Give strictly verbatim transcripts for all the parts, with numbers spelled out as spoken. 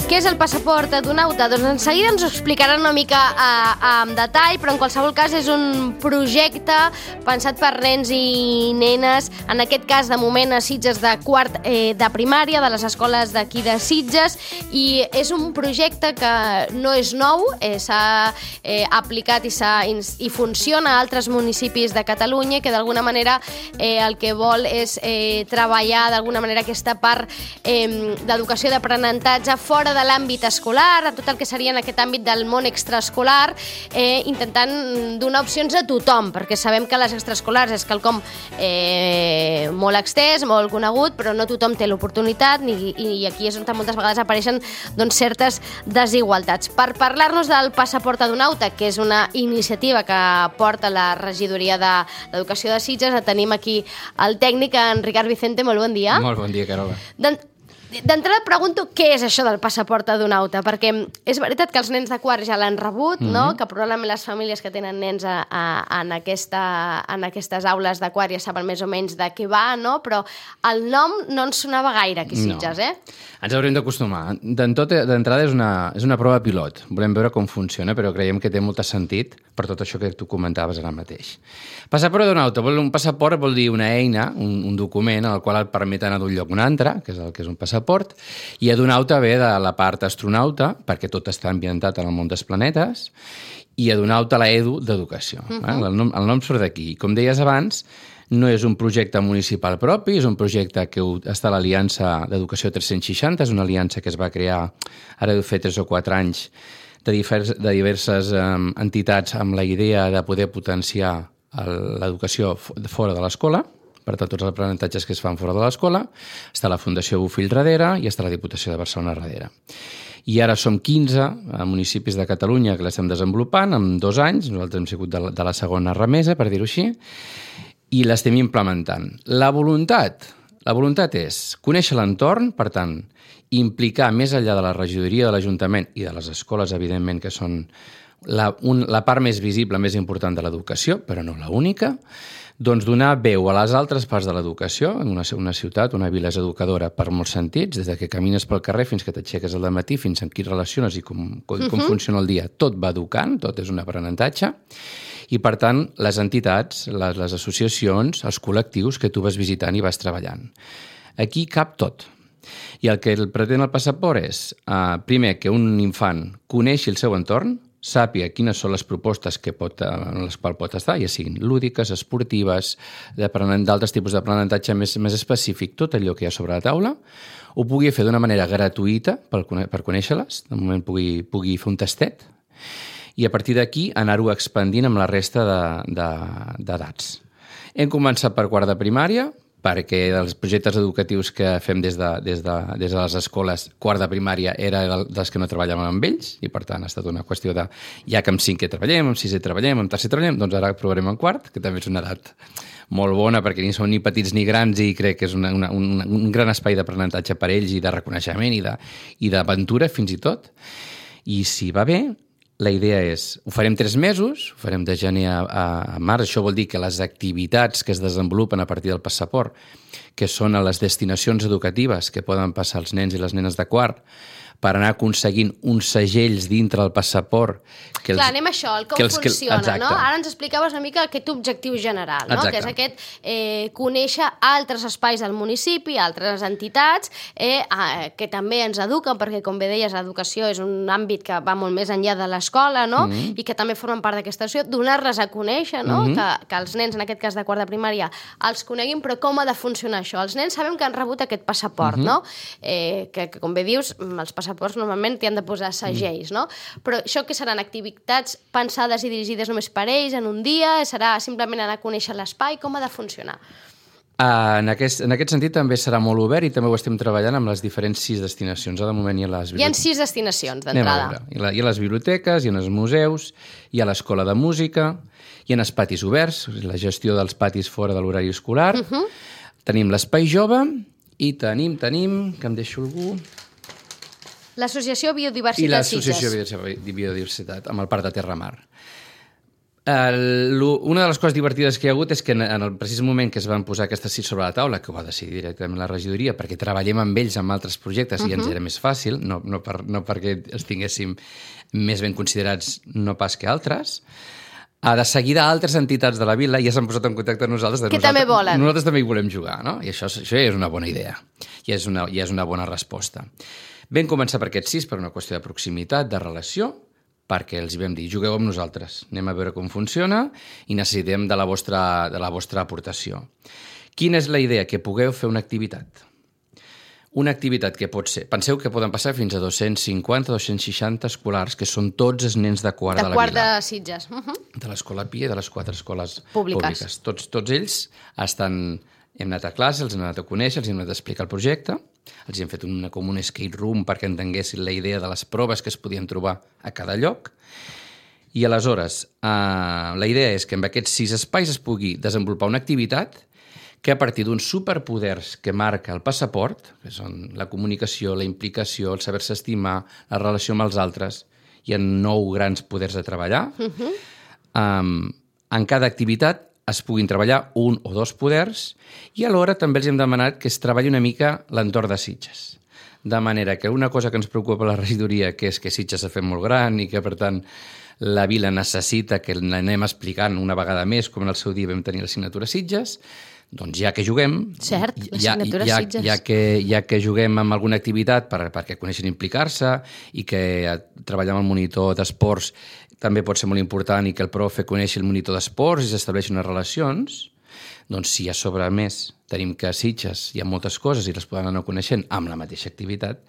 Què és el passaport d'Adonauta? Doncs en seguida ens ho explicaran una mica en detall, però en qualsevol cas és un projecte pensat per nens i nenes, en aquest cas de moment a Sitges de quart eh, de primària, de les escoles d'aquí de Sitges, i és un projecte que no és nou, eh, s'ha eh, aplicat i, i funciona a altres municipis de Catalunya, que d'alguna manera eh, el que vol és eh, treballar d'alguna manera aquesta part eh, d'educació d'aprenentatge fora de de l'àmbit escolar, a tot el que seria en aquest àmbit del món extraescolar, eh, intentant donar opcions a tothom, perquè sabem que les extraescolars és quelcom eh, molt extès, molt conegut, però no tothom té l'oportunitat i, i aquí és on moltes vegades apareixen doncs, certes desigualtats. Per parlar-nos del passaport Adonauta, que és una iniciativa que porta la regidoria d'Educació de Sitges, tenim aquí el tècnic, en Ricard Vicente. Molt bon dia. Molt bon dia, Carola. D'entrada pregunto què és això del passaport Adonauta, perquè és veritat que els nens de quart ja l'han rebut, mm-hmm. no? Que probablement les famílies que tenen nens a, a, en, aquesta, en aquestes aules de quart ja saben més o menys de què va, no? Però el nom no ens sonava gaire aquí a Sitges, no. eh? Ens haurem d'acostumar. D'entrada és, una, és una prova pilot. Volem veure com funciona, però creiem que té molt sentit per tot això que tu comentaves ara mateix. Passaport Adonauta. Un passaport vol dir una eina, un, un document en el qual et permet anar d'un lloc a un altre, que és el que és un passaport, i Adonauta ve de la part astronauta, perquè tot està ambientat en el món dels planetes, i Adonauta la edu d'educació. Uh-huh. eh? el, nom, el nom surt d'aquí. Com deies abans, no és un projecte municipal propi, és un projecte que està a l'Aliança d'Educació tres-cents seixanta, és una aliança que es va crear ara deu fer tres o quatre anys de, divers, de diverses um, entitats amb la idea de poder potenciar l'educació fora de l'escola, per tant, tots els aprenentatges que es fan fora de l'escola. Està la Fundació Bofill darrere i està la Diputació de Barcelona darrere. I ara som quinze municipis de Catalunya que l'estem desenvolupant en dos anys. Nosaltres hem sigut de la, de la segona remesa, per dir-ho així, i l'estem implementant. La voluntat, la voluntat és conèixer l'entorn, per tant, implicar més enllà de la regidoria de l'Ajuntament i de les escoles, evidentment, que són la, un, la part més visible, més important de l'educació, però no l'única, doncs donar veu a les altres parts de l'educació. Una, una ciutat, una vila és educadora per molts sentits, des de que camines pel carrer fins que t'aixeques al matí, fins amb qui relaciones i com, com, uh-huh. com funciona el dia. Tot va educant, tot és un aprenentatge. I, per tant, les entitats, les, les associacions, els col·lectius que tu vas visitant i vas treballant. Aquí cap tot. I el que pretén el passaport és, eh, primer, que un infant coneixi el seu entorn, sàpiga quines són les propostes que pot, en les quals pot estar, ja siguin lúdiques, esportives, d'altres tipus d'aprenentatge més, més específic, tot allò que hi ha sobre la taula, ho pugui fer d'una manera gratuïta per, per conèixer-les, de moment pugui, pugui fer un tastet, i a partir d'aquí anar-ho expandint amb la resta d'edats. Hem començat per quart de primària, perquè dels projectes educatius que fem des de, des de, des de les escoles, quart de primària era dels que no treballàvem amb ells, i per tant ha estat una qüestió de, ja que amb cinquè treballem, amb sisè treballem, amb tercer treballem, doncs ara provarem en quart, que també és una edat molt bona, perquè ni són ni petits ni grans, i crec que és una, una, un, un gran espai d'aprenentatge per ells, i de reconeixement, i d'aventura fins i tot. I si va bé, la idea és, ho farem tres mesos, ho farem de gener a, a març, això vol dir que les activitats que es desenvolupen a partir del passaport, que són a les destinacions educatives que poden passar els nens i les nenes de quart, per anar aconseguint uns segells dintre del passaport. Que els, Clar, anem a això, el com els, funciona, que, no? Ara ens explicaves una mica aquest objectiu general, no? Que és aquest eh, conèixer altres espais del municipi, altres entitats, eh, eh, que també ens eduquen, perquè, com bé deies, l'educació és un àmbit que va molt més enllà de l'escola, no? Mm-hmm. I que també formen part d'aquesta situació, donar-les a conèixer, no? Mm-hmm. que, que els nens, en aquest cas de quart de primària, els coneguin, però com ha de funcionar això? Els nens sabem que han rebut aquest passaport, mm-hmm. no? Eh, que, que, com bé dius, els passaports normalment t'hi han de posar segells, no? Però això que seran activitats pensades i dirigides només per ells en un dia? Serà simplement anar a conèixer l'espai? Com ha de funcionar? Uh, en, aquest, en aquest sentit també serà molt obert, i també ho estem treballant amb les diferents sis destinacions. De moment hi ha les biblioteques. Hi ha sis destinacions d'entrada. Hi ha, hi ha les biblioteques, hi ha els museus, hi ha l'escola de música, hi ha els patis oberts, la gestió dels patis fora de l'horari escolar, uh-huh. tenim l'espai jove i tenim, tenim, que em deixo algú... L'Associació Biodiversitat I l'Associació Biodiversitat, amb el Parc de Terramar. El, una de les coses divertides que hi ha hagut és que en, en el precís moment que es van posar aquestes sis sobre la taula, que ho va decidir directament la regidoria, perquè treballem amb ells en altres projectes uh-huh. i ens era més fàcil, no, no, per, no perquè els tinguéssim més ben considerats, no pas que altres, a de seguida altres entitats de la vila ja s'han posat en contacte amb nosaltres. De que nosaltres, també volen. Nosaltres també hi volem jugar, no? I això, això ja és una bona idea, ja és una, ja és una bona resposta. Vam començar per aquests sis per una qüestió de proximitat, de relació, perquè els vam dir, jugueu amb nosaltres, anem a veure com funciona i necessitem de la vostra, de la vostra aportació. Quina és la idea? Que pugueu fer una activitat. Una activitat que pot ser... Penseu que poden passar fins a dos-cents cinquanta a dos-cents seixanta escolars, que són tots els nens de quart de, de la vila. De quart de Sitges. Uh -huh. De l'Escola Pia i de les quatre escoles públiques. públiques. Tots, tots ells estan... Hem anat a classe, els hem anat a conèixer, els hem anat a explicar el projecte, els hem fet una, com un escape room perquè entenguessin la idea de les proves que es podien trobar a cada lloc. I aleshores, eh, la idea és que amb aquests sis espais es pugui desenvolupar una activitat que a partir d'uns superpoders que marca el passaport, que són la comunicació, la implicació, el saber-se estimar, la relació amb els altres, hi ha nou grans poders a treballar. Uh-huh. Um, en cada activitat es puguin treballar un o dos poders i alhora també els hem demanat que es treballi una mica l'entorn de Sitges. De manera que una cosa que ens preocupa a la regidoria, que és que Sitges s'ha fet molt gran i que, per tant, la vila necessita que l'anem explicant una vegada més, com en el seu dia vam tenir l'assignatura Sitges, doncs ja que juguem... Cert, l'assignatura ja, ja, Sitges. Ja que, ja que juguem amb alguna activitat per, perquè coneixen implicar-se i que treballar amb el monitor d'esports també pot ser molt important i que el profe coneixi el monitor d'esports i s'estableixin unes relacions, doncs si a sobre a més tenim que a Sitges hi ha moltes coses i les poden anar coneixent amb la mateixa activitat,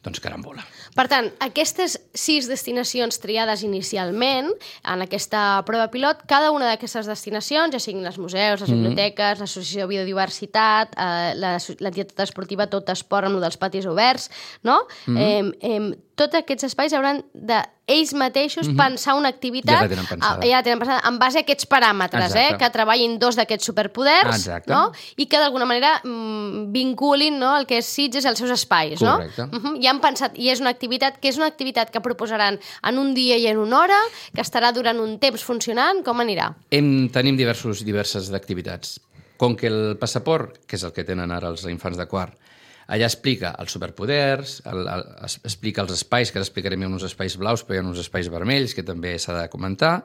doncs carambola. Per tant, aquestes sis destinacions triades inicialment en aquesta prova pilot, cada una d'aquestes destinacions, ja siguin els museus, les biblioteques, mm. l'associació de biodiversitat, eh, l'entitat esportiva Tot Esport amb el dels patis oberts, no? Mm. Eh, eh, tots aquests espais hauran de ells mateixos mm-hmm. pensar una activitat, ja la tenen pensada, ja la tenen pensada en base a aquests paràmetres, eh, que treballin dos d'aquests superpoders, no? I que d'alguna manera mm, vinculin, no, el que és Sitges i els seus espais. Correcte. No? Uh-huh. I han pensat, i és una activitat que és una activitat que proposaran en un dia i en una hora, que estarà durant un temps funcionant, com anirà? Hem, tenim diversos, diverses activitats. Com que el passaport, que és el que tenen ara els infants de quart, allà explica els superpoders, el, el, explica els espais, que ara explicarem uns espais blaus, però hi ha uns espais vermells, que també s'ha de comentar.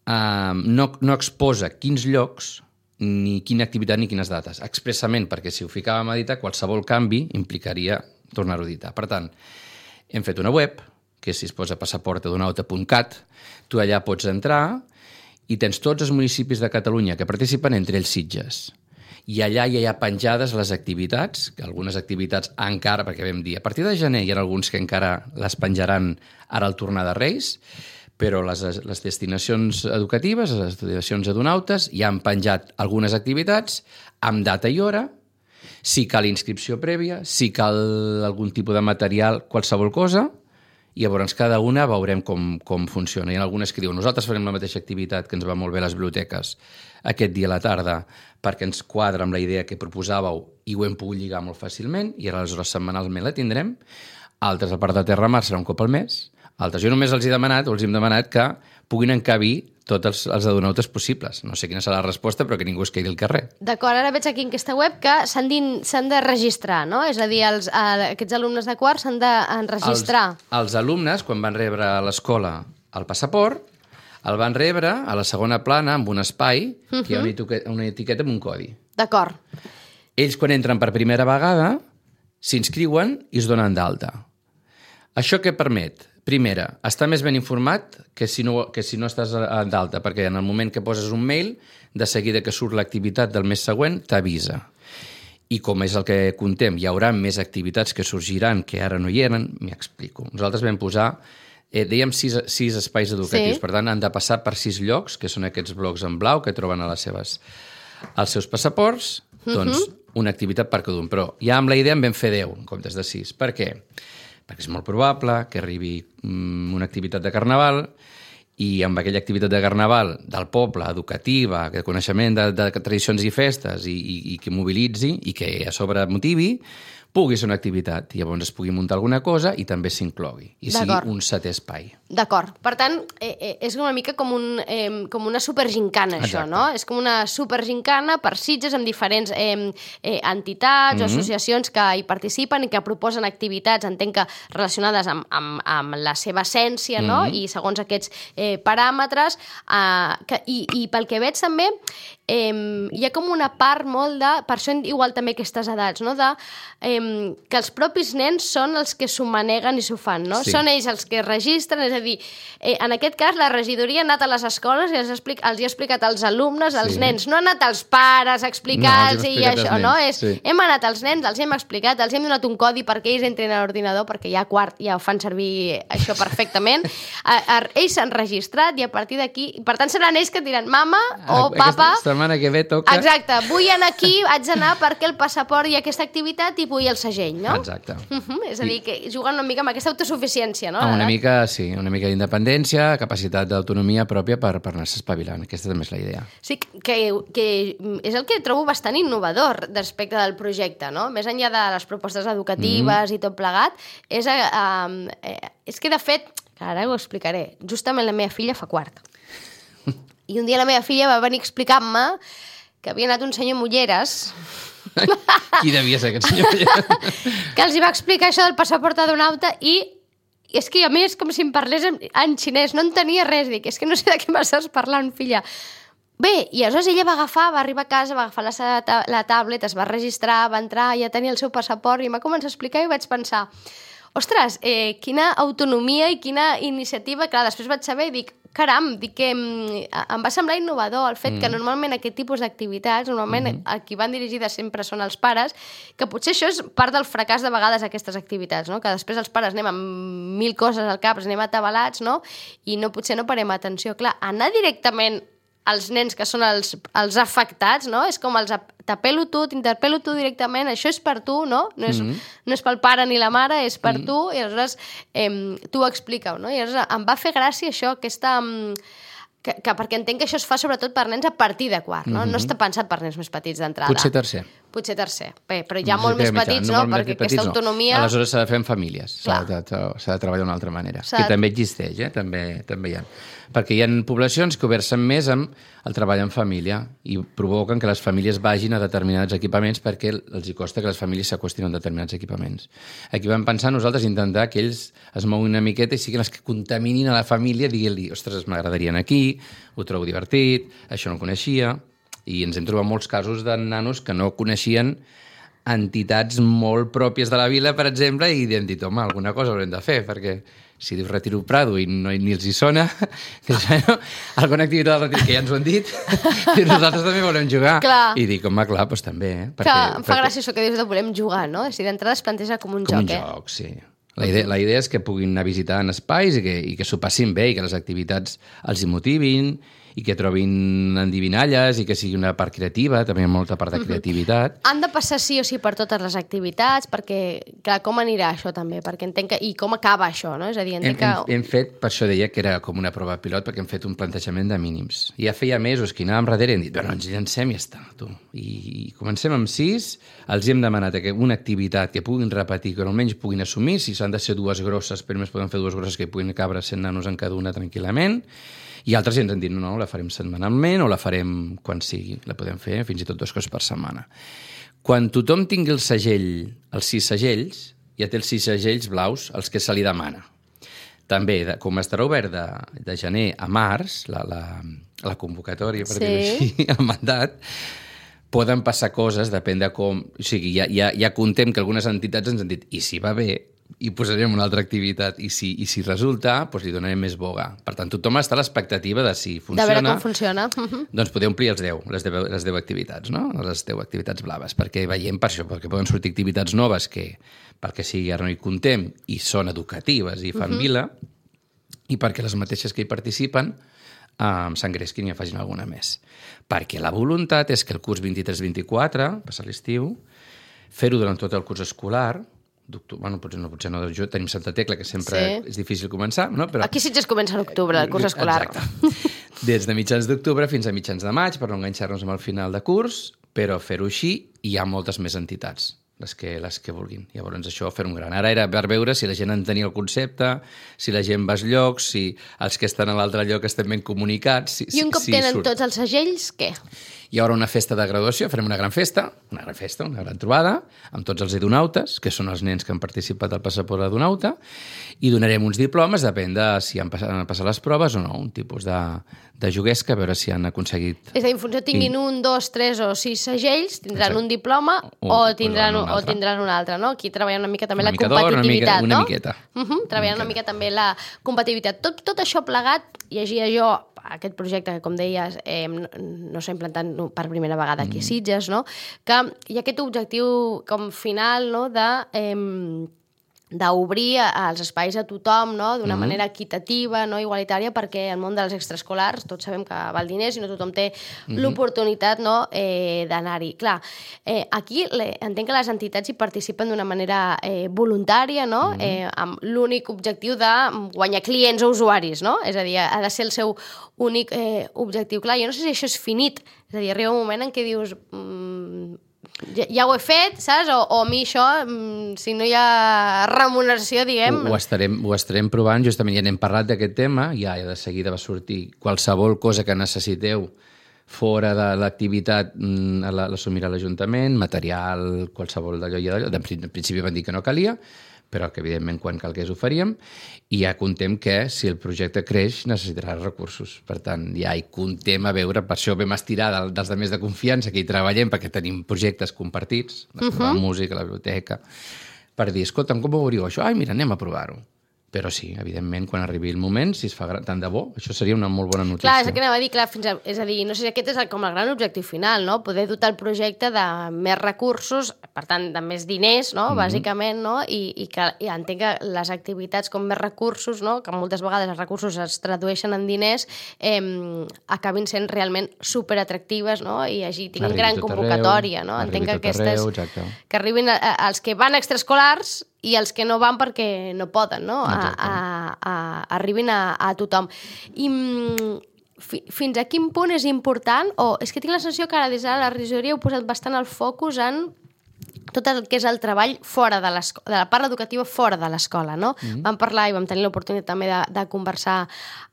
Uh, no, no exposa quins llocs, ni quina activitat, ni quines dates, expressament, perquè si ho ficàvem a editar, qualsevol canvi implicaria tornar-ho a editar. Per tant, hem fet una web, que si es posa passaport adonauta punt cat, tu allà pots entrar i tens tots els municipis de Catalunya que participen, entre ells Sitges. I allà ja hi ha penjades les activitats, que algunes activitats encara, perquè vam dir, a partir de gener hi ha alguns que encara les penjaran ara al tornar de Reis, però les, les destinacions educatives, les destinacions adonautes, ja han penjat algunes activitats amb data i hora, si cal inscripció prèvia, si cal algun tipus de material, qualsevol cosa, i llavors cada una veurem com, com funciona. Hi ha algunes que diuen, nosaltres farem la mateixa activitat que ens va molt bé a les biblioteques aquest dia a la tarda perquè ens quadra amb la idea que proposàveu i ho hem pogut lligar molt fàcilment i aleshores setmanalment la tindrem. Altres, a part de Terra Mar, serà un cop al mes. Altres, jo només els he demanat, o els hem demanat que puguin encabir tots els, els adonautes possibles. No sé quina serà la resposta, però que ningú es quedi al carrer. D'acord, ara veig aquí en aquesta web que s'han de registrar, no? És a dir, els, eh, aquests alumnes de quart s'han d'enregistrar. Els, els alumnes, quan van rebre a l'escola el passaport, el van rebre a la segona plana amb un espai, uh-huh. que hi ha una etiqueta, una etiqueta amb un codi. D'acord. Ells, quan entren per primera vegada, s'inscriuen i es donen d'alta. Això què permet? Primera, estar més ben informat que si no, que si no estàs d'alta, perquè en el moment que poses un mail, de seguida que surt l'activitat del mes següent, t'avisa. I com és el que contem, hi haurà més activitats que sorgiran que ara no hi eren, m'hi explico. Nosaltres vam posar, eh, dèiem, sis, sis espais educatius, sí. Per tant, han de passar per sis llocs, que són aquests blocs en blau que troben a les seves, als seus passaports, doncs uh-huh. una activitat per cada un. Però ja amb la idea en vam fer deu, en comptes de sis. Per què? Perquè és molt probable que arribi um, una activitat de carnaval i amb aquella activitat de carnaval del poble, educativa, de coneixement de, de tradicions i festes i, i, i que mobilitzi i que a sobre motivi, pugui ser una activitat, i llavors es pugui muntar alguna cosa i també s'inclogui, i sigui un setè espai. D'acord. Per tant, eh, és una mica com, un, eh, com una supergincana, això, Exacte. no? És com una supergincana per Sitges amb diferents eh, eh, entitats o Mhm. associacions que hi participen i que proposen activitats, entenc que relacionades amb, amb, amb la seva essència, no? Mhm. I segons aquests eh, paràmetres. Eh, que, i, I pel que veig també, eh, hi ha com una part molt de... Per això igual també aquestes edats, no? De, eh, que els propis nens són els que s'ho maneguen i s'ho fan, no? Sí. Són ells els que registren, és a dir, eh, en aquest cas la regidoria ha anat a les escoles i els, explic, els hi ha explicat als alumnes, als Sí. nens, no ha anat als pares a explicar-los No, els hem i explicat això, als no? nens, És, sí. hem anat als nens, els hem explicat, els hem donat un codi perquè ells entrin a l'ordinador, perquè ja a quart ja ho fan servir això perfectament. A, a, ells s'han registrat i a partir d'aquí... Per tant, seran ells que et diran mama o papa... Aquesta setmana que ve toca... Exacte, vull anar aquí, haig d'anar perquè el passaport i aquesta activitat i vull el segell, no? Exacte. Uh -huh. És a dir, que juguen una mica amb aquesta autosuficiència, no? Ah, una L'edat. mica, sí, una mica d'independència, capacitat d'autonomia pròpia per, per anar-se espavilant. Aquesta també és la idea. Sí, que, que és el que trobo bastant innovador respecte del projecte, no? Més enllà de les propostes educatives mm. i tot plegat, és, eh, eh, és que, de fet, ara ho explicaré, justament la meva filla fa quart. I un dia la meva filla va venir explicant-me que havia anat un senyor Mulleres Qui devia ser aquest senyor? que els hi va explicar això del passaport adonauta i és que a més com si em parlés en, en xinès, no entenia res, dic, és que no sé de què m'estàs parlant, filla. Bé, i aleshores ella va agafar, va arribar a casa, va agafar la, ta la tablet, es va registrar, va entrar, ja tenia el seu passaport i m'ha començat a explicar i vaig pensar, ostres, eh, quina autonomia i quina iniciativa, clar, després vaig saber i dic, caram, dic que em va semblar innovador el fet mm. que normalment aquest tipus d'activitats, normalment mm -hmm. a qui van dirigides sempre són els pares, que potser això és part del fracàs de vegades aquestes activitats, no? Que després els pares anem amb mil coses al cap, anem atabalats, no? I no, potser no parem atenció. Clar, anar directament als nens que són els, els afectats, no? És com els t'apel·lo tu, t'interpel·lo tu directament, això és per tu, no? No és, mm -hmm. no és pel pare ni la mare, és per mm -hmm. tu, i aleshores eh, tu ho explica-ho, no? I aleshores em va fer gràcia això, aquesta... Que, que perquè entenc que això es fa sobretot per nens a partir de quart, no? Mm -hmm. No està pensat per nens més petits d'entrada. Potser tercer. Potser tercer. Bé, però ja molt més petits, no? Perquè aquesta autonomia... Aleshores s'ha de fer en famílies, s'ha de, de treballar d'una altra manera. Que també existeix, eh? També, també hi ha. Perquè hi ha poblacions que ho versen més amb el treball en família i provoquen que les famílies vagin a determinats equipaments perquè els hi costa que les famílies s'acostin a determinats equipaments. Aquí vam pensar nosaltres intentar que ells es moguin una miqueta i siguin els que contaminin a la família, diguin-li, ostres, m'agradaria anar aquí, ho trobo divertit, això no ho coneixia, i ens hem trobat molts casos de nanos que no coneixien entitats molt pròpies de la vila, per exemple, i hem dit, home, alguna cosa haurem de fer, perquè si dius Retiro Prado i no, ni els hi sona, dius, bueno, alguna activitat del Retiro, que ja ens ho han dit, i nosaltres també volem jugar. Clar. I dic, home, clar, doncs també, eh? Perquè, clar, em fa perquè... gràcia això que dius de volem jugar, no? És a dir, d'entrada es planteja com un com joc, un eh? Com un joc, sí. La idea, la idea és que puguin anar visitant espais i que, i que s'ho passin bé i que les activitats els hi motivin i que trobin endivinalles i que sigui una part creativa, també hi ha molta part de creativitat. Han de passar sí o sí per totes les activitats, perquè, clar, com anirà això també? Perquè entenc que... I com acaba això, no? És a dir, entenc hem, que... Hem, hem fet, per això deia que era com una prova pilot, perquè hem fet un plantejament de mínims. I ja feia mesos que anàvem darrere i hem dit, bueno, ens llancem i ja està, tu. I, i comencem amb sis, els hem demanat una activitat que puguin repetir, que almenys puguin assumir, si s'han de ser dues grosses, però més poden fer dues grosses que puguin cabre cent nanos en cada una tranquil·lament, i altres ens han dit, no, no, la farem setmanalment o la farem quan sigui. La podem fer fins i tot dues coses per setmana. Quan tothom tingui el segell, els sis segells, ja té els sis segells blaus, els que se li demana. També, de, com estarà obert de, de gener a març, la, la, la convocatòria, per sí. dir-ho així, el mandat, poden passar coses, depèn de com... O sigui, ja, ja, ja contem que algunes entitats ens han dit, i si va bé, i posarem una altra activitat, i si, i si resulta, doncs li donarem més boga. Per tant, tothom està a l'expectativa de si funciona... De veure com funciona. Uh-huh. Doncs podeu omplir els deu, les deu, les deu activitats, no? Les deu activitats blaves, perquè veiem per això, perquè poden sortir activitats noves que, perquè sigui ara no hi contem, i són educatives i fan uh-huh. vila, i perquè les mateixes que hi participen um, s'engresquin i en facin alguna més. Perquè la voluntat és que el curs vint-i-tres vint-i-quatre, passar l'estiu, fer-ho durant tot el curs escolar. Bueno, potser no, potser no, jo tenim Santa Tecla, que sempre sí. és difícil començar, no? Però... Aquí sí que es comença a l'octubre, el curs escolar. Exacte. Des de mitjans d'octubre fins a mitjans de maig, per no enganxar-nos amb el final de curs, però fer-ho així hi ha moltes més entitats. les que, les que vulguin. Llavors això fer un gran. Ara era per veure si la gent entenia el concepte, si la gent va als llocs, si els que estan a l'altre lloc estan ben comunicats. Si, I un cop si tenen surt. tots els segells, què? Hi haurà una festa de graduació, farem una gran festa, una gran festa, una gran trobada, amb tots els edonautes, que són els nens que han participat al passaport edonauta, i donarem uns diplomes, depèn de si han passat, han passat les proves o no, un tipus de, de juguesca, a veure si han aconseguit... És a dir, en funció tinguin un, dos, tres o sis segells, tindran Exacte. un diploma o, O- tindran, o un, un o altre. tindran un altre, no? Aquí treballant una mica també Una la mica d'or, una competitivitat, mica- una no? miqueta. Uh -huh, treballant una mica també la competitivitat. Tot, tot això plegat, llegia jo aquest projecte que, com deies, eh, no, no s'ha implantat per primera vegada aquí a Sitges, no? Que hi ha aquest objectiu com final, no?, de... Eh, d'obrir els espais a tothom, no?, d'una mm-hmm. manera equitativa, no?, igualitària, perquè el món dels extraescolars, tots sabem que val diners i no tothom té mm-hmm. l'oportunitat, no?, eh, d'anar-hi. Clar, eh, aquí le, entenc que les entitats hi participen d'una manera eh, voluntària, no?, mm-hmm. eh, amb l'únic objectiu de guanyar clients o usuaris, no?, és a dir, ha de ser el seu únic eh, objectiu. Clar, jo no sé si això és finit, és a dir, arriba un moment en què dius... Mm, Ja, ja ho he fet, saps? O, o a mi això, si no hi ha remuneració, diguem... Ho, ho, estarem, ho estarem provant, justament ja n'hem parlat d'aquest tema, ja de seguida va sortir qualsevol cosa que necessiteu fora de l'activitat l'assumirà l'Ajuntament, material, qualsevol d'allò i d'allò. En principi van dir que no calia, però que evidentment quan calgués ho faríem, i ja contem que si el projecte creix necessitarà recursos. Per tant, ja hi contem a veure, per això vam estirar del, dels de més de confiança que hi treballem, perquè tenim projectes compartits, la uh-huh. música, la biblioteca, per dir, escolta'm, com ho veuríeu això? Ai, mira, anem a provar-ho. Però sí, evidentment, quan arribi el moment, si es fa gran, tant de bo, això seria una molt bona notícia. Clar, és el que anava a dir, clar, fins a, és a dir, no sé si aquest és el, com el gran objectiu final, no? Poder dotar el projecte de més recursos, per tant, de més diners, no?, mm-hmm. bàsicament, no?, i, i que i entenc que les activitats com més recursos, no?, que moltes vegades els recursos es tradueixen en diners, eh, acabin sent realment superatractives, no?, i així tinguin Arribi gran tot convocatòria, arreu, no? arribi Entenc que tot arreu, aquestes... exacte. Que arribin a, a, als que van a extraescolars i els que no van perquè no poden, no?, a, a, a, arribin a, a tothom. I mm, fi, fins a quin punt és important, o és que tinc la sensació que ara des de la regidoria heu posat bastant el focus en tot el que és el treball fora de l'escola, de la part educativa fora de l'escola, no? Mm-hmm. Vam parlar i vam tenir l'oportunitat també de, de conversar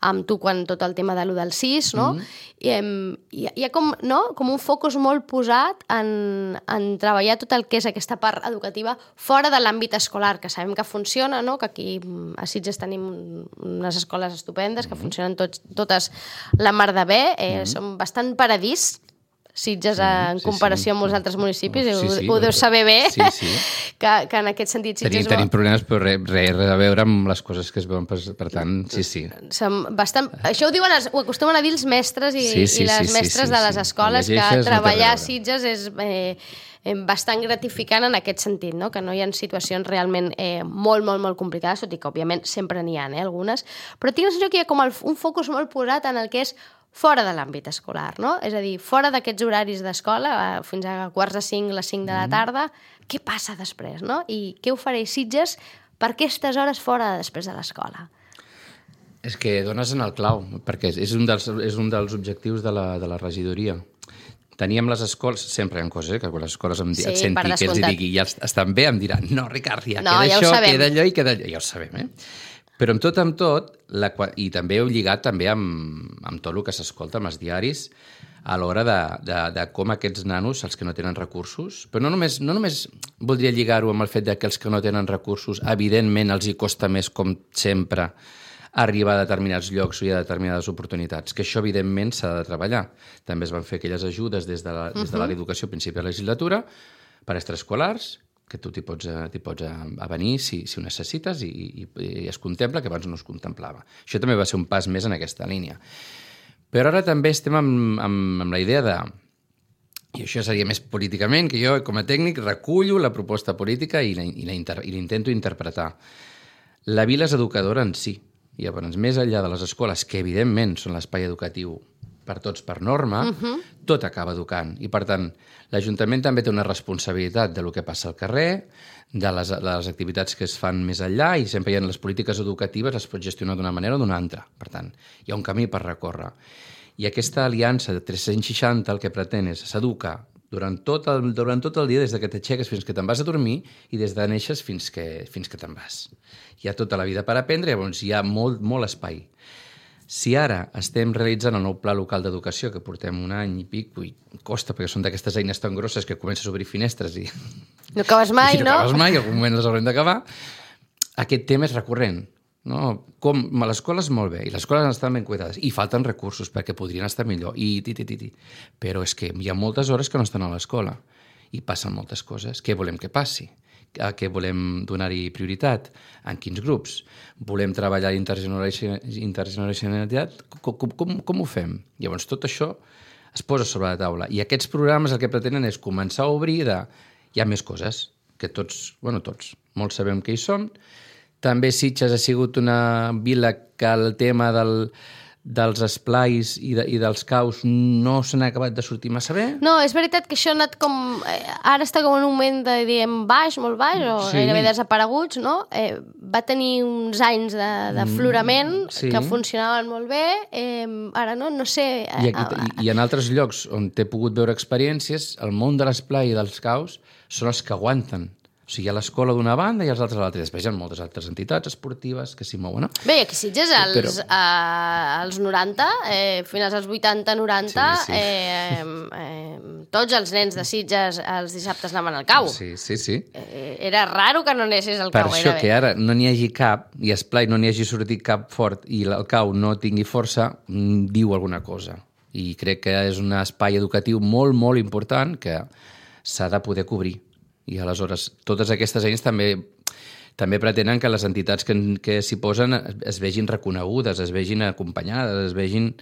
amb tu quan tot el tema de l'u del sis, no? Mm-hmm. I, em, hi, ha, hi ha com, no? com un focus molt posat en, en treballar tot el que és aquesta part educativa fora de l'àmbit escolar, que sabem que funciona, no? Que aquí a Sitges tenim unes escoles estupendes, que mm-hmm. funcionen tots, totes la mar de bé, eh, mm-hmm. som bastant paradís, Sitges, sí, en comparació sí, sí. amb els altres municipis, sí, sí, ho, ho deus saber bé, sí, sí. que, que en aquest sentit Sitges... Tenim, tenim problemes, però res, res, res a veure amb les coses que es veuen, per, per tant, sí, sí. Som bastant... Això ho, diuen els, ho acostumen a dir els mestres i, sí, sí, i les sí, mestres sí, sí, de les escoles, sí. que treballar a Sitges és... Eh, bastant gratificant en aquest sentit, no? Que no hi ha situacions realment eh, molt, molt, molt complicades, tot i que, òbviament, sempre n'hi ha, eh, algunes, però tinc la sensació que hi ha com el, un focus molt posat en el que és fora de l'àmbit escolar, no? És a dir, fora d'aquests horaris d'escola, fins a quarts de cinc, les cinc de la tarda, mm. què passa després, no? I què ofereix Sitges per aquestes hores fora després de l'escola? És que dones en el clau, perquè és un dels, és un dels objectius de la, de la regidoria. Teníem les escoles, sempre hi ha coses, eh, que quan les escoles em, sí, et senti que els digui, ja estan bé, em diran, no, Ricard, ja no, queda ja això, queda allò i queda allò, ja ho sabem, eh? Però amb tot, amb tot, la, i també heu lligat també amb, amb tot el que s'escolta amb els diaris, a l'hora de, de, de com aquests nanos, els que no tenen recursos, però no només, no només voldria lligar-ho amb el fet de que els que no tenen recursos, evidentment els hi costa més, com sempre, arribar a determinats llocs o a determinades oportunitats, que això evidentment s'ha de treballar. També es van fer aquelles ajudes des de l'educació a principi de la legislatura per extraescolars, que tu t'hi pots, pots venir si, si ho necessites i, i, i es contempla, que abans no es contemplava. Això també va ser un pas més en aquesta línia. Però ara també estem amb, amb, amb la idea de, i això seria més políticament, que jo com a tècnic recullo la proposta política i l'intento interpretar. La vila és educadora en si. I llavors, més enllà de les escoles, que evidentment són l'espai educatiu per tots per norma, uh-huh. tot acaba educant. I, per tant, l'Ajuntament també té una responsabilitat de lo que passa al carrer, de les, de les activitats que es fan més enllà, i sempre hi ha les polítiques educatives, es pot gestionar d'una manera o d'una altra. Per tant, hi ha un camí per recórrer. I aquesta aliança de tres-cents seixanta el que pretén és s'educa durant tot el, durant tot el dia, des que t'aixeques fins que te'n vas a dormir i des de neixes fins que, fins que te'n vas. Hi ha tota la vida per aprendre, llavors hi ha molt, molt espai. Si ara estem realitzant el nou pla local d'educació, que portem un any i pic, ui, costa, perquè són d'aquestes eines tan grosses que comences a obrir finestres i... No acabes mai, i no? No acabes mai, en algun moment les haurem d'acabar. Aquest tema és recurrent. No? Com, l'escola és molt bé, i les escoles estan ben cuidades, i falten recursos perquè podrien estar millor, i ti, ti, ti, ti. Però és que hi ha moltes hores que no estan a l'escola, i passen moltes coses. Què volem que passi? A què volem donar-hi prioritat? En quins grups? Volem treballar intergeneracionalitat? Com, com, com ho fem? Llavors, tot això es posa sobre la taula. I aquests programes el que pretenen és començar a obrir de... Hi ha més coses, que tots, bueno, tots, molts sabem que hi són. També Sitges ha sigut una vila que el tema del... dels esplais i, de, i dels caus no se n'ha acabat de sortir massa bé. No, és veritat que això ha anat com... Ara està com en un moment de, diem, baix, molt baix, o sí. Gairebé desapareguts, no? Eh, va tenir uns anys d'aflorament mm, sí. que funcionaven molt bé. Eh, ara no, no sé... I, aquí, i, I en altres llocs on t'he pogut veure experiències, el món de l'esplai i dels caus són els que aguanten. O sigui, hi ha l'escola d'una banda i els altres a l'altra. Després hi ha moltes altres entitats esportives que s'hi mouen, no? Bé, aquí Sitges, als, Però... eh, als noranta, eh, fins als vuitanta noranta, sí, sí. Eh, eh, tots els nens de Sitges els dissabtes anaven al cau. Sí, sí, sí. Eh, era raro que no anessis al per cau. Per això que bé. Ara no n'hi hagi cap, i esplai no n'hi hagi sortit cap fort, i el cau no tingui força, diu alguna cosa. I crec que és un espai educatiu molt, molt important que s'ha de poder cobrir. I aleshores totes aquestes eines també també pretenen que les entitats que, que s'hi posen es vegin reconegudes, es vegin acompanyades, es vegin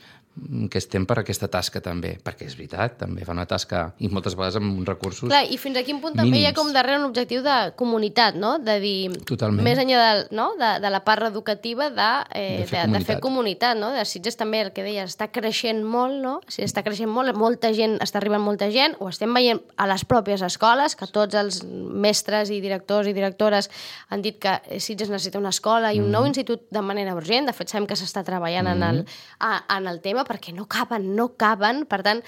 que estem per aquesta tasca també, perquè és veritat, també fa una tasca i moltes vegades amb uns recursos Clar, i fins a quin punt també mínims. Hi ha com darrere un objectiu de comunitat, no? De dir, Totalment. Més enllà de, no? de, de la part educativa de, eh, de, fer de, de fer comunitat, no? De Sitges també, el que deies, està creixent molt, no? Si està creixent molt, molta gent, està arribant molta gent, ho estem veient a les pròpies escoles, que tots els mestres i directors i directores han dit que Sitges necessita una escola i un mm. nou institut de manera urgent. De fet, sabem que s'està treballant mm. en, el, a, en el tema, perquè no caben, no caben, per tant,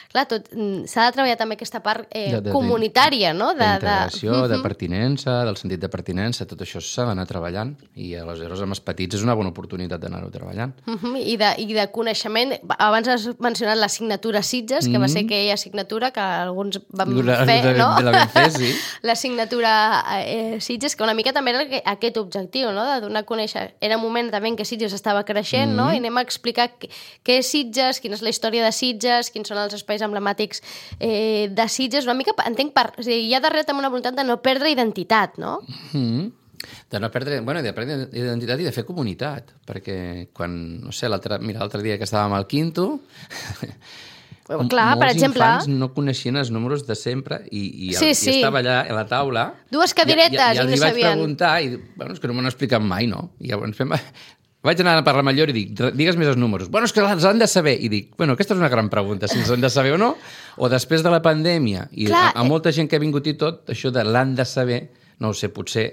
clar, tot s'ha de treballar també aquesta part eh, de, de, comunitària, no? De, d'integració, de, de... de pertinença, del sentit de pertinença, tot això s'ha d'anar treballant, i aleshores amb els petits és una bona oportunitat d'anar-ho treballant. Uh-huh. I, de, I de coneixement, abans has mencionat l'assignatura Sitges, que mm. va ser aquella assignatura que alguns vam la, fer, la, no? La vam fer, sí. L'assignatura eh, Sitges, que una mica també era aquest objectiu, no? De donar a conèixer. Era un moment també en què Sitges estava creixent, mm. no? I anem a explicar què és Sitges, quina és la història de Sitges, quins són els espais emblemàtics eh, de Sitges, una mica, entenc, per, o sigui, hi ha darrere també una voluntat de no perdre identitat, no? Mm. De no perdre, bueno, de perdre identitat i de fer comunitat, perquè quan, no sé, l'altre, mira, l'altre dia que estàvem al quinto, clar, per exemple, molts infants no coneixien els números de sempre i, i, el, sí, sí. i estava allà a la taula, dues cadiretes i, i, i, i no sabien. I els vaig preguntar, i bueno, és que no m'ho han explicat mai, no? I llavors fem... Vaig anar a parlar amb el Llor i dic, digues més els números. Bueno, és que els han de saber. I dic, bueno, aquesta és una gran pregunta, si els han de saber o no. O després de la pandèmia, i Clar, a, a molta gent que ha vingut i tot, això de l'han de saber, no ho sé, potser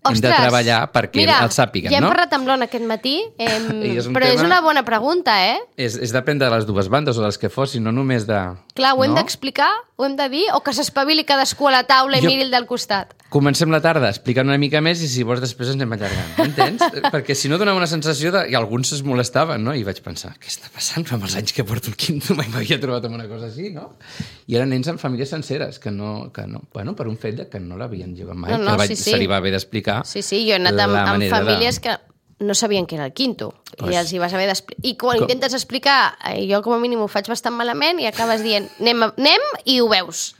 Ostres, hem de treballar perquè mira, el sàpiguen, ja hem no? parlat amb l'Ona aquest matí, eh, és però tema, és una bona pregunta, eh? És, és depèn de les dues bandes o dels que fossin, no només de... Clar, ho hem no? d'explicar, ho hem de dir, o que s'espavili cadascú a la taula i jo... miri el del costat. Comencem la tarda explicant una mica més i si vols després ens anem allargant, entens? Perquè si no donava una sensació de... I alguns es molestaven, no? I vaig pensar, què està passant? Fa molts anys que porto el quinto, mai m'havia trobat amb una cosa així, no? I eren nens amb famílies senceres, que no... Que no bueno, per un fet de que no l'havien jugat mai, no, no, que vaig, sí, sí. se li va haver d'explicar. Sí, sí, jo he anat amb, amb famílies de... que no sabien què era el quinto. Pues... I els hi vas haver d'explicar. I quan Com... intentes explicar, jo com a mínim ho faig bastant malament i acabes dient, anem, anem i ho veus.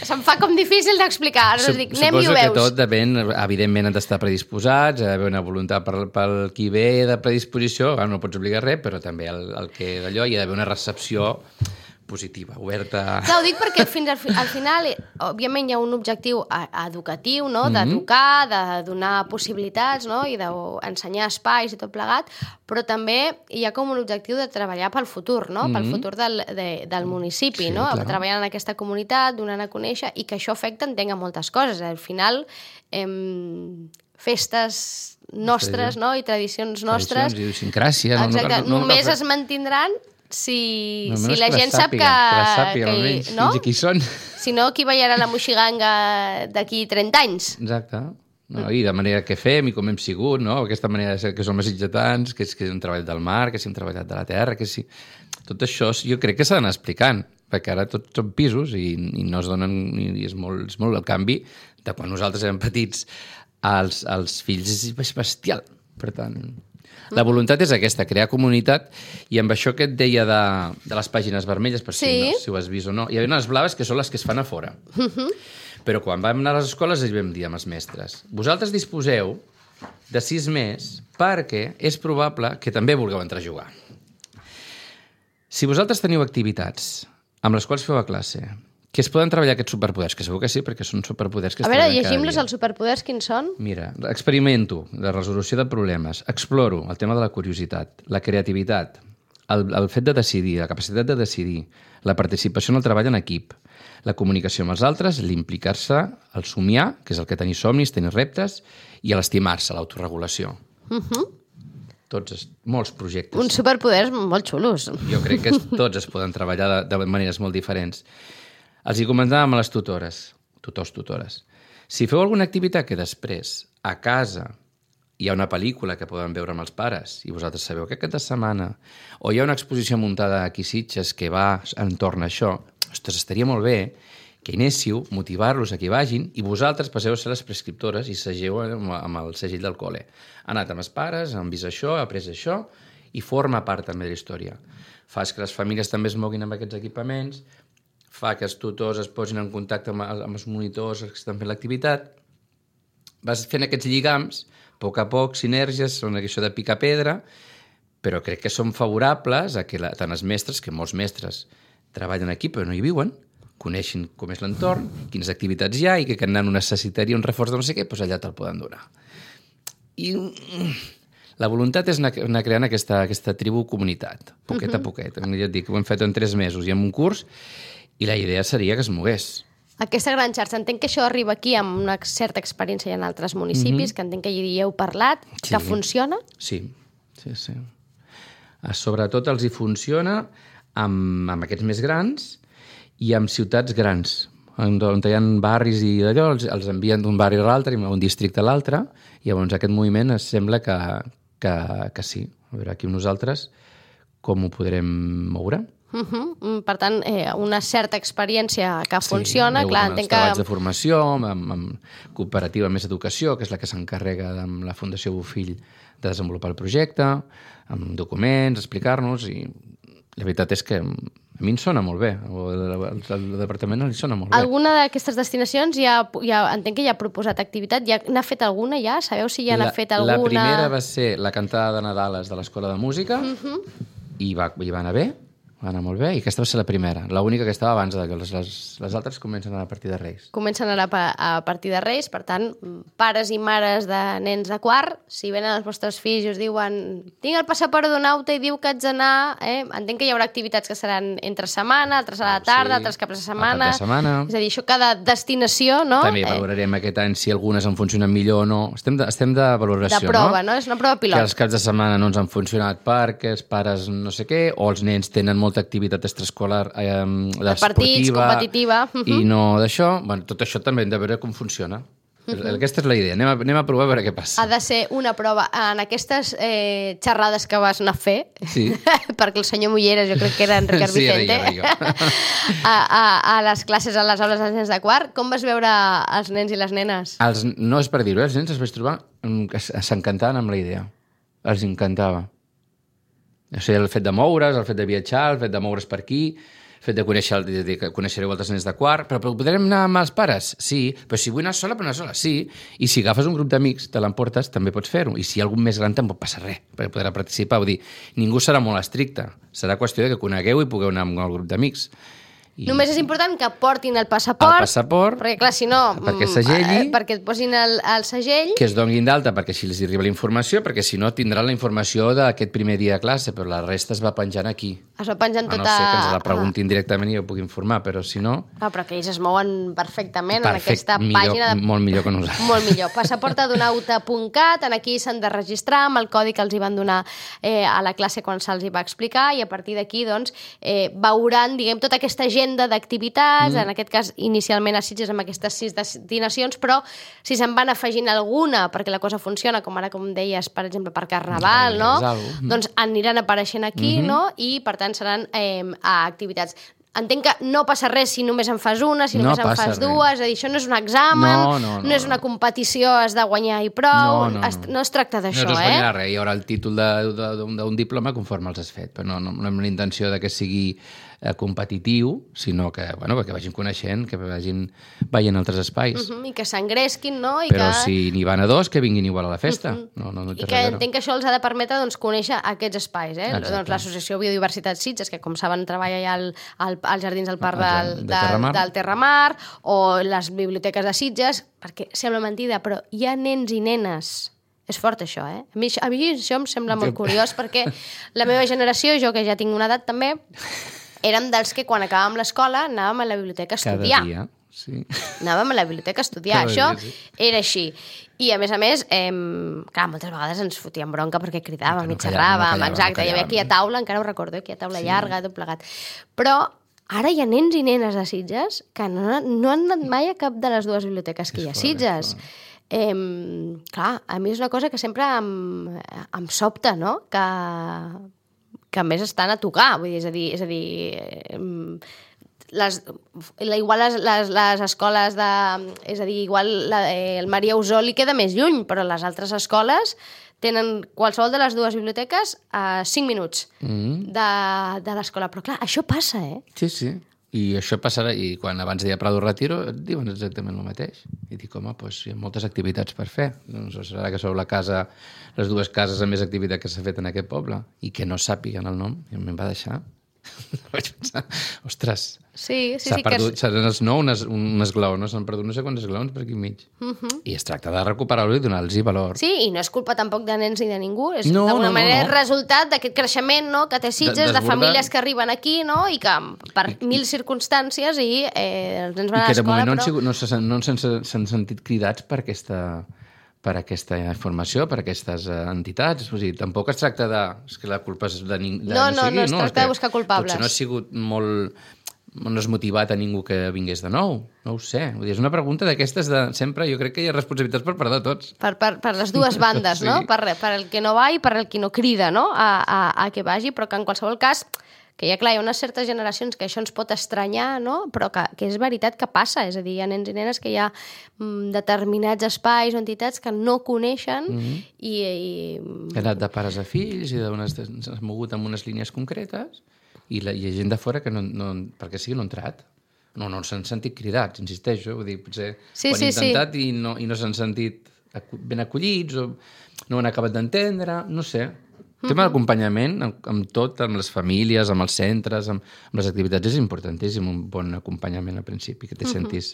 Se'm fa com difícil d'explicar. Ara us dic, anem i ho veus. Suposo que tot depèn, evidentment han d'estar predisposats, ha d'haver una voluntat pel, pel qui ve de predisposició, no pots obligar res, però també el, el que d'allò hi ha d'haver una recepció positiva, oberta... Clar, ho dic perquè fins al, al final, òbviament, hi ha un objectiu educatiu, no? D'educar, de donar possibilitats, no? I d'ensenyar espais i tot plegat, però també hi ha com un objectiu de treballar pel futur, no? Pel futur del, de, del municipi, sí, no? Clar. Treballant en aquesta comunitat, donant a conèixer, i que això afecta, entenc, a moltes coses. Al final, em, festes nostres, no? I tradicions nostres... Tradicions, idiosincràsia... Exacte, no, no, no, només no, es mantindran si, No, si la que gent les sap que... sàpiga, que les sàpiga, que, almenys, no? fins aquí són. Si no, qui ballarà la moixiganga d'aquí trenta anys? Exacte. No, I de manera que fem i com hem sigut, no? Aquesta manera de ser que som els sitgetans, que, és, que hem treballat del mar, que si hem treballat de la terra, que si... Tot això jo crec que s'ha d'anar explicant, perquè ara tots són pisos i, i no es donen... I és molt, és molt el canvi de quan nosaltres érem petits als, als fills és bestial. Per tant, la voluntat és aquesta, crear comunitat, i amb això que et deia de, de les pàgines vermelles, per si, Sí. no, si ho has vist o no, hi havia unes blaves que són les que es fan a fora. Però quan vam anar a les escoles els vam dir amb els mestres: vosaltres disposeu de sis més perquè és probable que també vulgueu entrar a jugar. Si vosaltres teniu activitats amb les quals feu a classe que es poden treballar aquests superpoders, que segur que sí, perquè són superpoders que es A veure, treballen cada llegim-los dia. els superpoders, quins són? Mira, experimento la resolució de problemes, exploro el tema de la curiositat, la creativitat, el, el fet de decidir, la capacitat de decidir, la participació en el treball en equip, la comunicació amb els altres, l'implicar-se, el somiar, que és el que tenir somnis, tenir reptes, i l'estimar-se, l'autoregulació. Uh -huh. Tots, es- molts projectes. Uns superpoders molt xulos. Jo crec que es- tots es poden treballar de, de maneres molt diferents. Els hi comentàvem a les tutores, tutors, tutores. Si feu alguna activitat que després, a casa, hi ha una pel·lícula que poden veure amb els pares i vosaltres sabeu que aquesta setmana, o hi ha una exposició muntada aquí a Sitges que va entorn a això, ostres, estaria molt bé que hi anéssiu, motivar-los a que hi vagin i vosaltres passeu a ser les prescriptores i segeu amb, amb el segell del col·le. Ha anat amb els pares, han vist això, ha après això i forma part també de la història. Fas que les famílies també es moguin amb aquests equipaments, fa que els tutors es posin en contacte amb, amb els monitors que estan fent l'activitat, vas fent aquests lligams, a poc a poc, sinergies, són això de picar pedra, però crec que són favorables a que la, tant els mestres, que molts mestres treballen aquí però no hi viuen, coneixin com és l'entorn, quines activitats hi ha i que aquest nano necessitaria un reforç de no sé què, doncs allà te'l poden donar. I la voluntat és anar, anar creant aquesta, aquesta tribu-comunitat, poquet uh -huh. a poquet. Ja et dic, ho hem fet en tres mesos i en un curs, i la idea seria que es mogués. Aquesta gran xarxa, entenc que això arriba aquí amb una certa experiència en altres municipis, mm-hmm. que entenc que hi heu parlat, Sí. que funciona. Sí, sí, sí. Ah, sobretot els hi funciona amb, amb aquests més grans i amb ciutats grans, on, on hi ha barris i d'allò, els, els envien d'un barri a l'altre, un districte a l'altre, i llavors aquest moviment es sembla que, que, que sí. A veure, aquí nosaltres com ho podrem moure? Uh -huh. Per tant, eh, una certa experiència que Sí, funciona. hi ha Clar, hagut entenc els treballs que... de formació, amb, amb, amb cooperativa Més Educació, que és la que s'encarrega amb la Fundació Bofill de desenvolupar el projecte, amb documents, explicar-nos, i la veritat és que a mi em sona molt bé, o el, el departament li sona molt bé. Alguna d'aquestes destinacions ja, ja entenc que ja ha proposat activitat, ja n'ha fet alguna ja? Sabeu si ja n'ha la, fet alguna? La primera va ser la cantada de Nadales de l'Escola de Música, Uh -huh. i, va, i va anar bé, va anar molt bé, i aquesta va ser la primera, l'única que estava abans de que les, les, les altres comencen a anar a partir de Reis. Comencen ara a partir de Reis, per tant, pares i mares de nens de quart, si venen els vostres fills i us diuen tinc el passaport d'un auto i diu que haig d'anar, eh? Entenc que hi haurà activitats que seran entre setmana, altres a la tarda, Sí, altres caps de al setmana. cap de setmana. És a dir, això cada destinació, no? També Eh, valorarem aquest any si algunes en funcionen millor o no. Estem de, estem de valoració, de prova, no? no? És una prova pilot. Que els caps de setmana no ens han funcionat perquè els pares no sé què, o els nens tenen molta activitat extraescolar eh, De partits, competitiva. Uh -huh. i no d'això. Bueno, tot això també hem de veure com funciona. Uh -huh. Aquesta és la idea. Anem a, anem a provar a veure què passa. Ha de ser una prova. En aquestes eh, xerrades que vas anar a fer, Sí. perquè el senyor Mulleres, jo crec que era en Ricard Sí, era Vicente, jo, era jo. a, a, a les classes, a les aules dels nens de quart, com vas veure els nens i les nenes? Els, no és per dir-ho, eh? Els nens els vaig trobar mm, que s'encantaven amb la idea. Els encantava. O sigui, el fet de moure's, el fet de viatjar, el fet de moure's per aquí, el fet de conèixer, el, de, de, que coneixereu altres nens de quart, però, però podrem anar amb els pares? Sí. Però si vull anar sola, però anar sola? Sí. I si agafes un grup d'amics, te l'emportes, també pots fer-ho. I si hi ha algun més gran, tampoc passa res, perquè podrà participar. Vull dir, ningú serà molt estricte. Serà qüestió de que conegueu i pugueu anar amb el grup d'amics. I... Només és important que portin el passaport, el passaport perquè clar, si no... perquè segelli, eh, perquè et posin el, el segell... que es donin d'alta perquè així els arriba la informació, perquè si no tindran la informació d'aquest primer dia de classe, però la resta es va penjant aquí. Es va penjant tota... A no ser que ens la preguntin directament i jo puc informar, però si no... Ah, però que ells es mouen perfectament Perfect, en aquesta millor, pàgina. De... Molt millor que nosaltres. Molt millor. passaportadonauta punt cat, en aquí s'han de registrar amb el codi que els hi van donar eh, a la classe quan se'ls hi va explicar, i a partir d'aquí doncs, eh, veuran, diguem, tota aquesta agenda d'activitats, mm. en aquest cas inicialment a Sitges amb aquestes sis destinacions, però si se'n van afegint alguna perquè la cosa funciona, com ara com deies, per exemple, per Carnaval, no? Mm. Doncs aniran apareixent aquí, mm-hmm. no? I per tant seran eh, a activitats. Entenc que no passa res si només en fas una, si només no en fas res. dues, és a dir, això no és un examen, no, no, no, no és una competició, has de guanyar i prou, no, no, es, no es tracta d'això, no, no es eh? guanyarà res, hi haurà el títol d'un diploma conforme els has fet, però no, no, no amb la intenció de que sigui eh, competitiu, sinó que, bueno, que vagin coneixent, que vagin veient altres espais. Uh -huh, I que s'engresquin, no? I però que... si n'hi van a dos, que vinguin igual a la festa. Uh -huh. no, no, no I que entenc que això els ha de permetre doncs, conèixer aquests espais. Eh? Doncs, l'Associació Biodiversitat Sitges, que com saben treballa ja al, al, als jardins del Parc del, de de, Terramar. del Terramar, o les biblioteques de Sitges, perquè sembla mentida, però hi ha nens i nenes. És fort, això, eh? A mi, a mi això em sembla molt curiós, perquè la meva generació, jo que ja tinc una edat també, érem dels que quan acabàvem l'escola anàvem a la biblioteca a estudiar. Cada dia, sí. Anàvem a la biblioteca a estudiar, Cada això dia, sí. era així. I a més a més, eh, clar, moltes vegades ens fotíem bronca perquè cridàvem no i xerràvem, no exacte, no hi havia aquí a taula, encara ho recordo, aquí a taula sí. llarga, tot plegat. Però ara hi ha nens i nenes de Sitges que no, no han anat mai a cap de les dues biblioteques que hi ha a Sitges. Eh, clar, a mi és una cosa que sempre em, em sobta, no? Que, que a més estan a tocar, vull dir, és a dir, és a dir eh, les, igual les, les, les escoles de... És a dir, igual la, eh, el Maria Usó li queda més lluny, però les altres escoles tenen qualsevol de les dues biblioteques a cinc minuts mm. de, de l'escola. Però clar, això passa, eh? Sí, sí. I això passarà, i quan abans deia Prado Retiro, et diuen exactament el mateix. I dic, home, doncs hi ha moltes activitats per fer. Doncs serà que sou la casa, les dues cases amb més activitat que s'ha fet en aquest poble, i que no sàpiguen el nom, i em va deixar. Vaig pensar, ostres, sí, sí, s'ha sí, perdut, que... seran els nou, un, un esglaó, no? S'han perdut no sé quants esglaons per aquí enmig. Uh -huh. I es tracta de recuperar-lo i donar-los valor. Sí, i no és culpa tampoc de nens ni de ningú, és no, d'alguna no, manera no, no. resultat d'aquest creixement, no?, que té Sitges, de, de famílies que arriben aquí, no?, i que per I, mil circumstàncies i eh, els nens van a l'escola, però... I que de moment no, però... no s'han no s'han sentit cridats per aquesta... per aquesta informació, per aquestes uh, entitats. O sigui, tampoc es tracta de... És que la culpa és de ningú. No, no, no, no es tracta de buscar culpables. Potser no ha sigut molt... no has motivat a ningú que vingués de nou. No ho sé. Vull dir, és una pregunta d'aquestes de... Sempre jo crec que hi ha responsabilitats per part de tots. Per, per, per les dues bandes, sí. no? Per, per el que no va i per el que no crida, no?, a, a, a que vagi, però que en qualsevol cas... que ja, clar, hi ha unes certes generacions que això ens pot estranyar, no? Però que, que és veritat que passa, és a dir, hi ha nens i nenes que hi ha mm, determinats espais o entitats que no coneixen mm -hmm. i, i... He anat de pares a fills i s'ha mogut amb unes línies concretes i la, hi ha gent de fora que, no, no, perquè sigui, no ha entrat. No, no s'han sentit cridats, insisteixo, vull dir, potser sí, ho han sí, intentat sí. i no, i no s'han sentit ben acollits o no ho han acabat d'entendre, no sé. El tema d'acompanyament, amb, amb tot, amb les famílies, amb els centres, amb, amb les activitats, és importantíssim, un bon acompanyament al principi, que te sentis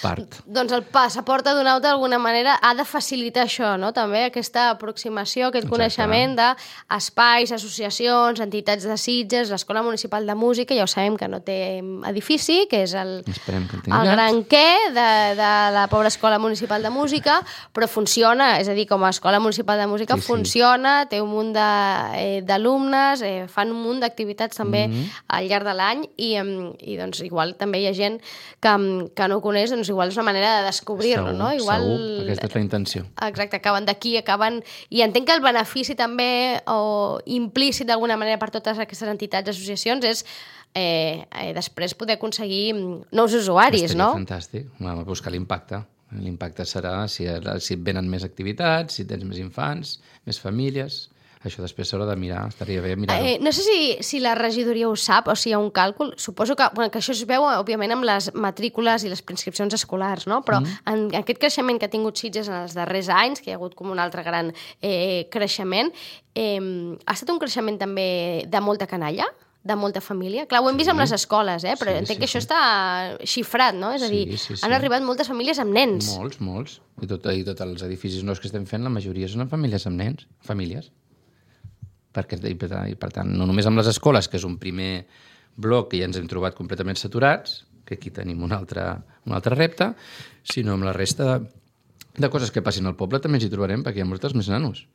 part. Doncs el passaport adonat d'alguna manera ha de facilitar això, no?, també aquesta aproximació, aquest Exacte. coneixement d'espais, associacions, entitats de Sitges, l'Escola Municipal de Música, ja ho sabem que no té edifici, que és el, que el, el gran què de, de la pobra Escola Municipal de Música, però funciona, és a dir, com a Escola Municipal de Música sí, funciona, sí. té un munt de d'alumnes, eh, fan un munt d'activitats també mm-hmm. al llarg de l'any i, i doncs igual també hi ha gent que, que no ho coneix, doncs igual és una manera de descobrir-lo, no? Igual, segur, aquesta és la intenció. Exacte, acaben d'aquí, acaben... I entenc que el benefici també, o implícit d'alguna manera per totes aquestes entitats i associacions, és eh, eh, després poder aconseguir nous usuaris, Estaria no? fantàstic, buscar l'impacte. L'impacte serà si, si et venen més activitats, si tens més infants, més famílies... Això després s'haurà de mirar, estaria bé mirar-ho. Eh, no sé si, si la regidoria ho sap o si hi ha un càlcul. Suposo que, bueno, que això es veu, òbviament, amb les matrícules i les preinscripcions escolars, no? Però mm. en aquest creixement que ha tingut Sitges en els darrers anys, que hi ha hagut com un altre gran eh, creixement, eh, ha estat un creixement també de molta canalla? de molta família. Clar, ho hem vist amb les escoles, eh? però Sí, entenc sí, que això sí. està xifrat, no? És a dir, Sí, sí, sí. han arribat moltes famílies amb nens. Molts, molts. I, tot, I tots els edificis nous que estem fent, la majoria són famílies amb nens, famílies. Perquè, i, per, I per tant, no només amb les escoles, que és un primer bloc que ja ens hem trobat completament saturats, que aquí tenim un altre, un altre repte, sinó amb la resta de, de coses que passin al poble també ens hi trobarem, perquè hi ha molts més nanos.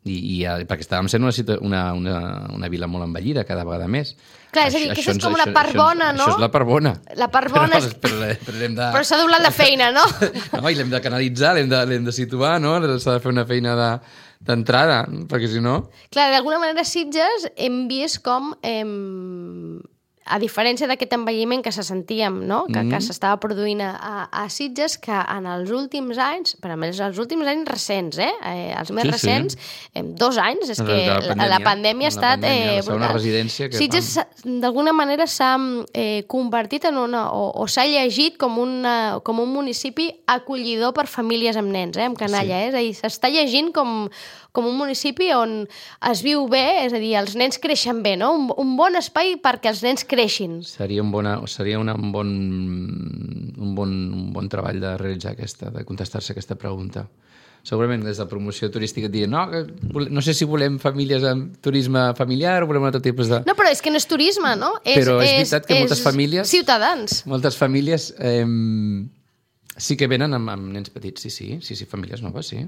I, i ja, perquè estàvem sent una, una, una, una vila molt envellida cada vegada més. Clar, és a dir, que això és com una part bona, no? Això és la part bona. La part bona però, és... Però, però, hem de... però s'ha doblat la feina, no? No, i l'hem de canalitzar, l'hem de, l'hem de situar, no? S'ha de fer una feina de, d'entrada, perquè si no... Clar, d'alguna manera Sitges hem vist com... Hem... a diferència d'aquest envelliment que se sentíem, no? que, mm. que s'estava produint a, a Sitges, que en els últims anys, per a més els últims anys recents, eh? eh els més sí, recents, sí. dos anys, és que la pandèmia, la pandèmia ha estat... La pandèmia, eh, la segona residència que Sitges d'alguna manera s'ha eh, convertit en una... o, o s'ha llegit com, una, com un municipi acollidor per famílies amb nens, eh? amb canalla, sí. eh? És a dir, s'està llegint com... com un municipi on es viu bé, és a dir, els nens creixen bé, no? Un, un bon espai perquè els nens creixin. Seria un, bona, seria una, un, bon, un, bon, un bon treball de realitzar aquesta, de contestar-se aquesta pregunta. Segurament des de promoció turística et diuen no, no sé si volem famílies amb turisme familiar o volem un altre tipus de... No, però és que no és turisme, no? És, però és, és veritat que és moltes famílies... Ciutadans. Moltes famílies eh, sí que venen amb, amb nens petits, sí, sí, sí, sí, famílies noves, sí.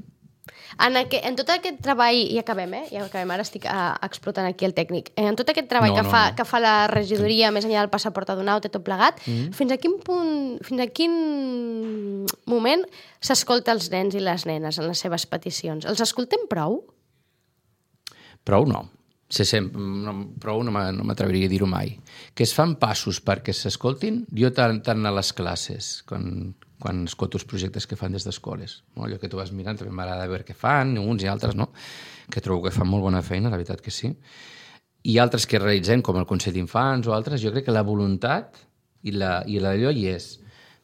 En, aqu en tot aquest treball, i acabem, eh? Ja acabem, ara estic a, explotant aquí el tècnic. En tot aquest treball no, que, no, fa, no. que fa la regidoria, sí. més enllà del passaport adonat i tot plegat, mm. fins a quin punt, fins a quin moment s'escolta els nens i les nenes en les seves peticions? Els escoltem prou? Prou no. Se sempre, no, prou no m'atreviria a dir-ho mai. Que es fan passos perquè s'escoltin, jo tant, tant a les classes, quan... quan escolto els projectes que fan des d'escoles. No? Allò que tu vas mirant, també m'agrada veure què fan, uns i altres, no? Que trobo que fan molt bona feina, la veritat que sí. I altres que realitzem, com el Consell d'Infants o altres, jo crec que la voluntat i l'allò hi és,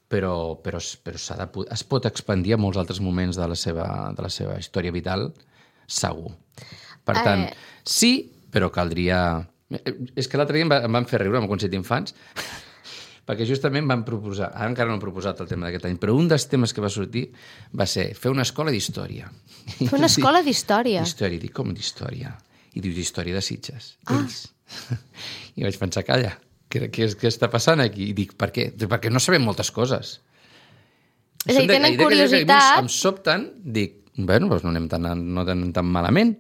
però, però, però s'ha de, es pot expandir a molts altres moments de la seva, de la seva història vital, segur. Per tant, eh... sí, però caldria... És que l'altre dia em van fer riure amb el Consell d'Infants, perquè justament van proposar, ara encara no han proposat el tema d'aquest any, però un dels temes que va sortir va ser fer una escola d'història. Fer una escola d'història? Història, dic, com d'història? I dius, història de Sitges. Ah. Ells. I vaig pensar, calla, què, què, què està passant aquí? I dic, per què? Perquè no sabem moltes coses. És a dir, tenen curiositat... Em sobten, dic, bueno, doncs no anem tan, no anem tan malament.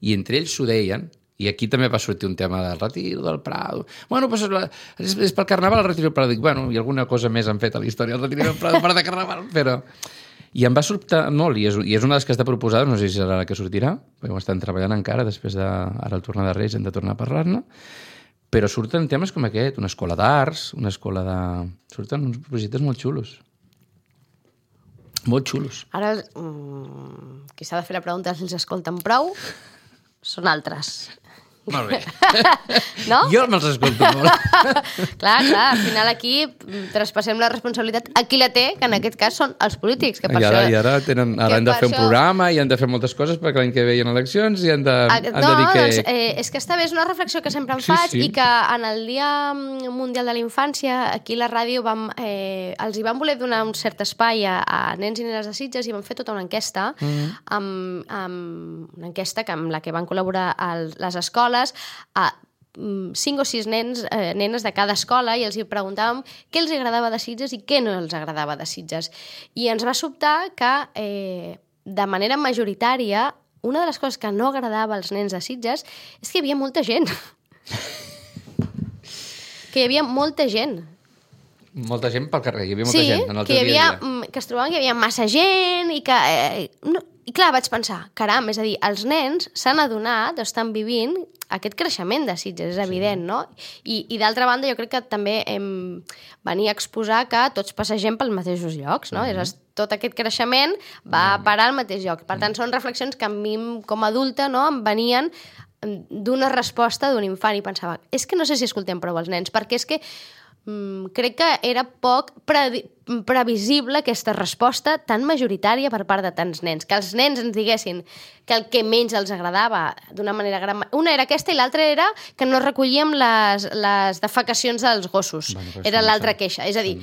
I entre ells s'ho deien. I aquí també va sortir un tema del retiro del Prado. Bueno, doncs és, és pel Carnaval el retiro del Prado. Dic, bueno, i alguna cosa més han fet a la història del retiro del Prado per de Carnaval, però... I em va sobtar molt, i és, i és una de les que està proposada, no sé si serà la que sortirà, perquè ho estan treballant encara, després de... Ara el tornar de Reis hem de tornar a parlar-ne, però surten temes com aquest, una escola d'arts, una escola de... Surten uns projectes molt xulos. Molt xulos. Ara, mmm, qui s'ha de fer la pregunta si els escolten prou són altres. Molt bé. No? Jo me'ls escolto molt. Clar, clar, al final aquí traspassem la responsabilitat a qui la té, que en aquest cas són els polítics. Que per I ara, això, i ara, tenen, ara han de fer un això... programa i han de fer moltes coses perquè l'any que ve hi ha eleccions i han de, ah, han no, de dir que... doncs, eh, és que està bé, és una reflexió que sempre em sí, faig sí. i que en el Dia Mundial de la Infància, aquí a la ràdio, vam, eh, els hi van voler donar un cert espai a, a nens i nenes de Sitges i van fer tota una enquesta, mm. amb, amb una enquesta que, amb la que van col·laborar el, les escoles, a cinc o sis nens, eh, nenes de cada escola i els hi preguntàvem què els agradava de Sitges i què no els agradava de Sitges. I ens va sobtar que, eh, de manera majoritària, una de les coses que no agradava als nens de Sitges és que hi havia molta gent. Que hi havia molta gent. Molta gent pel carrer, hi havia molta sí, gent en el que teu hi havia, dia a dia. Que es trobaven que hi havia massa gent i que... Eh, no, i clar, vaig pensar, caram, és a dir, els nens s'han adonat, estan vivint aquest creixement de Sitges, és evident, sí. no? I, i d'altra banda, jo crec que també hem venir a exposar que tots passegem pels mateixos llocs, no? Mm. És, tot aquest creixement va mm. parar al mateix lloc. Per tant, mm. són reflexions que a mi, com a adulta, no, em venien d'una resposta d'un infant i pensava, és que no sé si escoltem prou els nens, perquè és que mm, crec que era poc pre previsible aquesta resposta tan majoritària per part de tants nens. Que els nens ens diguessin que el que menys els agradava d'una manera gran... Una era aquesta i l'altra era que no recollíem les, les defecacions dels gossos. Bueno, era l'altra queixa. És a dir,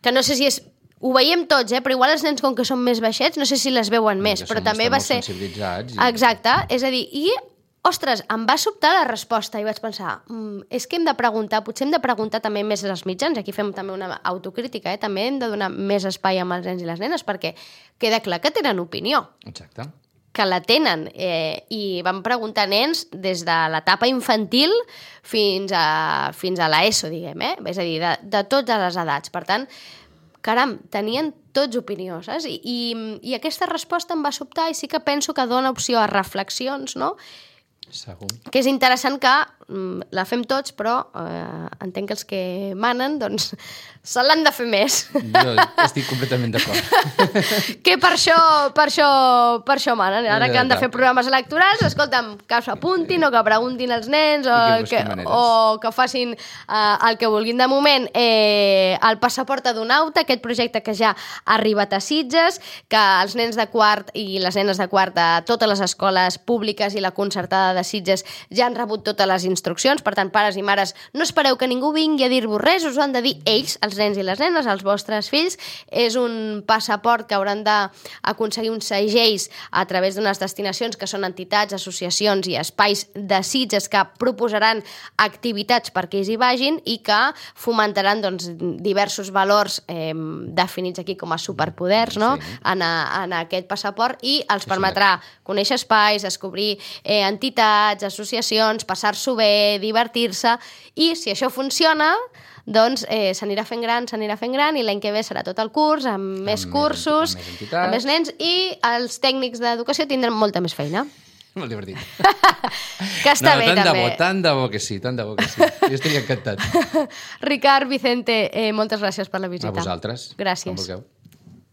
que no sé si és... Ho veiem tots, eh? Però igual els nens, com que són més baixets, no sé si les veuen més, però també va ser... I... Exacte, és a dir, i... Ostres, em va sobtar la resposta i vaig pensar, mm, és que hem de preguntar, potser hem de preguntar també més als mitjans, aquí fem també una autocrítica, eh? També hem de donar més espai amb els nens i les nenes, perquè queda clar que tenen opinió. Exacte. Que la tenen, eh, i vam preguntar a nens des de l'etapa infantil fins a, fins a l'ESO, diguem, eh? És a dir, de, de totes les edats. Per tant, caram, tenien tots opinió, saps? I, i, i aquesta resposta em va sobtar i sí que penso que dona opció a reflexions, no? Segur. Que és interessant que mm, la fem tots, però eh, entenc que els que manen, doncs, se l'han de fer més. Jo estic completament d'acord. Que per això, per això, per això manen. Ara que han de fer programes electorals, escolta'm, que s'apuntin o que preguntin als nens o que, o que facin eh, el que vulguin. De moment, eh, el passaport adonauta, aquest projecte que ja ha arribat a Sitges, que els nens de quart i les nenes de quart de totes les escoles públiques i la concertada de Sitges ja han rebut totes les instruccions. Per tant, pares i mares, no espereu que ningú vingui a dir-vos res, us ho han de dir ells, els nens i les nenes, els vostres fills. És un passaport que hauran d'aconseguir uns segells a través d'unes destinacions que són entitats, associacions i espais de Sitges que proposaran activitats perquè ells hi vagin i que fomentaran doncs, diversos valors eh, definits aquí com a superpoders, no? Sí. en, a, en aquest passaport, i els permetrà conèixer espais, descobrir eh, entitats, associacions, passar-s'ho bé, divertir-se, i si això funciona, doncs eh, s'anirà fent gran, s'anirà fent gran, i l'any que ve serà tot el curs, amb, amb més cursos, amb més, amb més nens, i els tècnics d'educació tindran molta més feina. Molt divertit. Que està no, bé, tant també. De bo, tant de bo que sí, tant de bo que sí. Jo estic encantat. Ricard, Vicente, eh, moltes gràcies per la visita. A vosaltres. Gràcies. Com vulgueu.